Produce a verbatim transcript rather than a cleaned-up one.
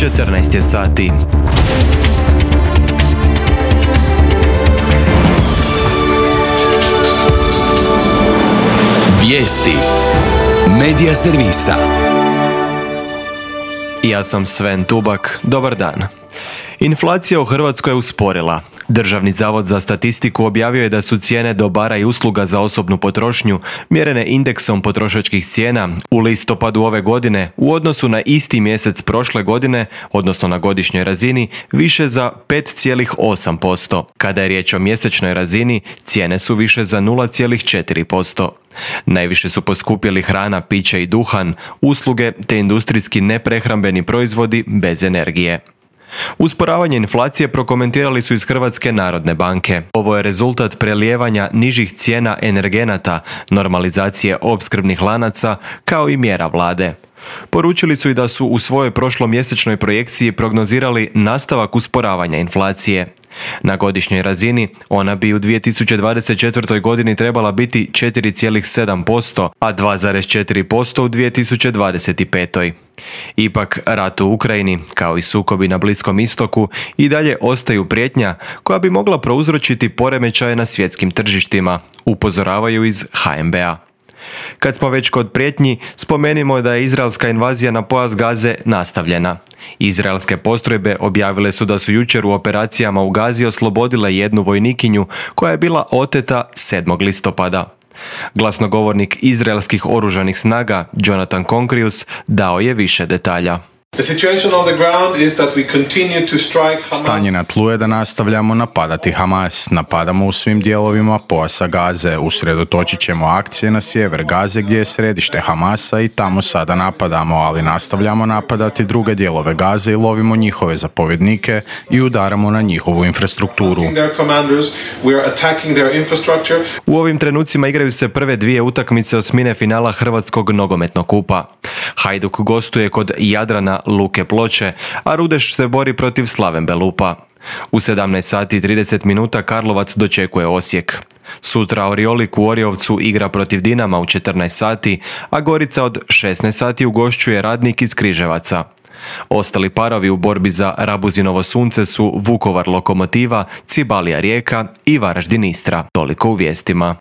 četrnaest je sati. Vijesti Medija servisa. Ja sam Sven Tubak, dobar dan. Inflacija u Hrvatskoj je usporila. Državni zavod za statistiku objavio je da su cijene dobara i usluga za osobnu potrošnju mjerene indeksom potrošačkih cijena u listopadu ove godine u odnosu na isti mjesec prošle godine, odnosno na godišnjoj razini, više za pet zarez osam posto. Kada je riječ o mjesečnoj razini, cijene su više za nula zarez četiri posto. Najviše su poskupjeli hrana, piće i duhan, usluge te industrijski neprehrambeni proizvodi bez energije. Usporavanje inflacije prokomentirali su iz Hrvatske narodne banke. Ovo je rezultat prelijevanja nižih cijena energenata, normalizacije opskrbnih lanaca, kao i mjera vlade. Poručili su i da su u svojoj prošlomjesečnoj projekciji prognozirali nastavak usporavanja inflacije. Na godišnjoj razini ona bi u dvije tisuće dvadeset četvrtoj. godini trebala biti četiri zarez sedam posto, a dva zarez četiri posto u dvije tisuće dvadeset petoj. Ipak, rat u Ukrajini, kao i sukobi na Bliskom istoku, i dalje ostaju prijetnja koja bi mogla prouzročiti poremećaje na svjetskim tržištima, upozoravaju iz ha em be a. Kad smo već kod prijetnji, spomenimo da je izraelska invazija na pojas Gaze nastavljena. Izraelske postrojbe objavile su da su jučer u operacijama u Gazi oslobodile jednu vojnikinju koja je bila oteta sedmog listopada. Glasnogovornik izraelskih oružanih snaga, Jonathan Concrius, dao je više detalja. Stanje na tlu je da nastavljamo napadati Hamas. Napadamo u svim dijelovima pojasa Gaze. Usredotočit ćemo akcije na sjever Gaze gdje je središte Hamasa i tamo sada napadamo, ali nastavljamo napadati druge dijelove Gaze i lovimo njihove zapovjednike i udaramo na njihovu infrastrukturu. U ovim trenucima igraju se prve dvije utakmice osmine finala Hrvatskog nogometnog kupa. Hajduk gostuje kod Jadrana Luke Ploče, a Rudeš se bori protiv Slaven Belupa. U sedamnaest sati i trideset minuta Karlovac dočekuje Osijek. Sutra Oriolik u Oriovcu igra protiv Dinama u četrnaest sati, a Gorica od šesnaest sati ugošćuje Radnik iz Križevaca. Ostali parovi u borbi za Rabuzinovo sunce su Vukovar Lokomotiva, Cibalija Rijeka i Varaždin Istra. Toliko u vijestima.